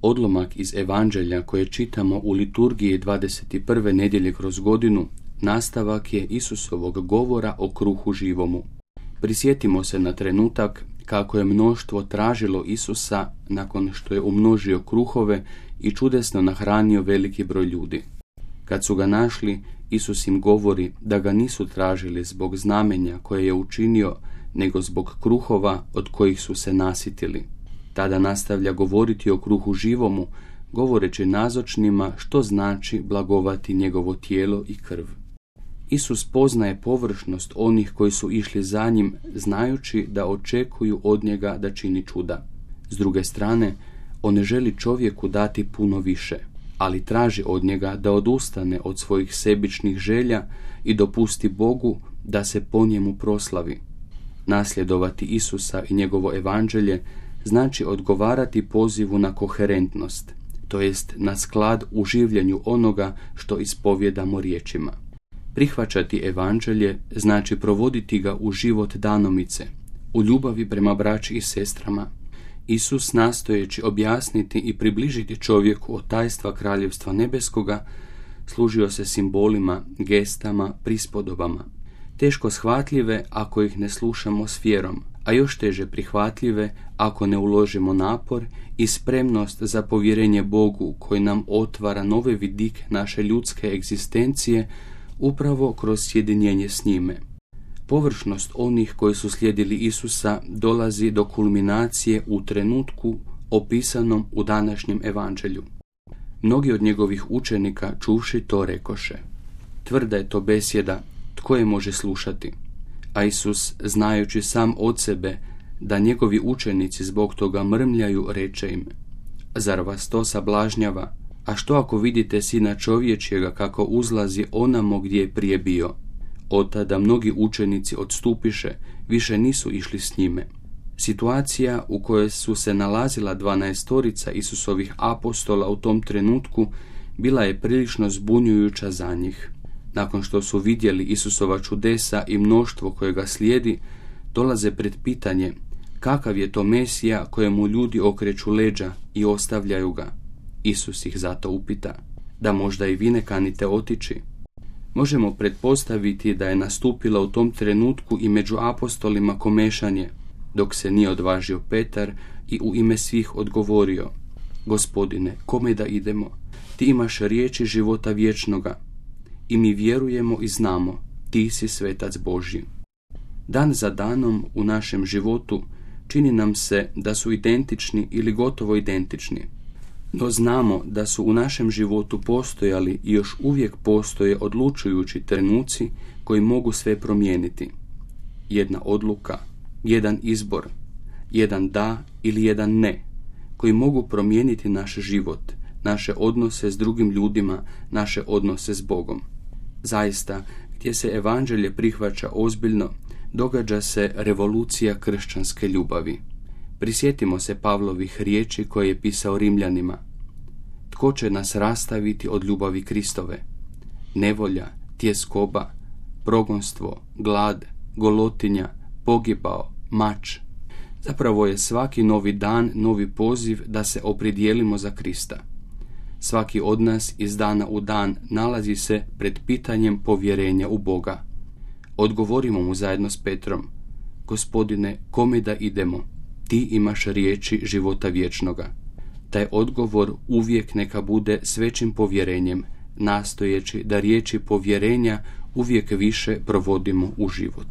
Odlomak iz Evanđelja koje čitamo u liturgiji 21. nedjelje kroz godinu nastavak je Isusovog govora o kruhu živomu. Prisjetimo se na trenutak kako je mnoštvo tražilo Isusa nakon što je umnožio kruhove i čudesno nahranio veliki broj ljudi. Kad su ga našli, Isus im govori da ga nisu tražili zbog znamenja koje je učinio, nego zbog kruhova od kojih su se nasitili. Tada nastavlja govoriti o kruhu živomu, govoreći nazočnima što znači blagovati njegovo tijelo i krv. Isus poznaje površnost onih koji su išli za njim, znajući da očekuju od njega da čini čuda. S druge strane, on ne želi čovjeku dati puno više, ali traži od njega da odustane od svojih sebičnih želja i dopusti Bogu da se po njemu proslavi. Nasljedovati Isusa i njegovo evanđelje znači odgovarati pozivu na koherentnost, to jest na sklad u življenju onoga što ispovjedamo riječima. Prihvaćati evanđelje znači provoditi ga u život danomice, u ljubavi prema braći i sestrama. Isus, nastojeći objasniti i približiti čovjeku od tajstva kraljevstva nebeskoga, služio se simbolima, gestama, prispodobama. Teško shvatljive ako ih ne slušamo s vjerom, a još teže prihvatljive ako ne uložimo napor i spremnost za povjerenje Bogu koji nam otvara nove vidike naše ljudske egzistencije upravo kroz sjedinjenje s njime. Površnost onih koji su slijedili Isusa dolazi do kulminacije u trenutku opisanom u današnjem evanđelju. Mnogi od njegovih učenika čuvši to rekoše: tvrda je to besjeda, tko je može slušati? A Isus, znajući sam od sebe da njegovi učenici zbog toga mrmljaju, reče im: zar vas to sablažnjava? A što ako vidite Sina čovječjega kako uzlazi onamo gdje je prije bio? Od tada mnogi učenici odstupiše, više nisu išli s njime. Situacija u kojoj su se nalazila 12 Isusovih apostola u tom trenutku bila je prilično zbunjujuća za njih. Nakon što su vidjeli Isusova čudesa i mnoštvo koje ga slijedi, dolaze pred pitanje kakav je to Mesija kojemu ljudi okreću leđa i ostavljaju ga. Isus ih zato upita: da možda i vi ne kanite otići? Možemo pretpostaviti da je nastupilo u tom trenutku i među apostolima komešanje, dok se nije odvažio Petar i u ime svih odgovorio: Gospodine, kome da idemo? Ti imaš riječi života vječnoga i mi vjerujemo i znamo, ti si svetac Božji. Dan za danom u našem životu čini nam se da su identični ili gotovo identični. No znamo da su u našem životu postojali i još uvijek postoje odlučujući trenuci koji mogu sve promijeniti. Jedna odluka, jedan izbor, jedan da ili jedan ne, koji mogu promijeniti naš život, naše odnose s drugim ljudima, naše odnose s Bogom. Zaista, gdje se evanđelje prihvaća ozbiljno, događa se revolucija kršćanske ljubavi. Prisjetimo se Pavlovih riječi koje je pisao Rimljanima: tko će nas rastaviti od ljubavi Kristove? Nevolja, tjeskoba, progonstvo, glad, golotinja, pogibao, mač. Zapravo je svaki novi dan novi poziv da se opredijelimo za Krista. Svaki od nas iz dana u dan nalazi se pred pitanjem povjerenja u Boga. Odgovorimo mu zajedno s Petrom: Gospodine, kome da idemo? Ti imaš riječi života vječnoga. Taj odgovor uvijek neka bude s većim povjerenjem, nastojeći da riječi povjerenja uvijek više provodimo u život.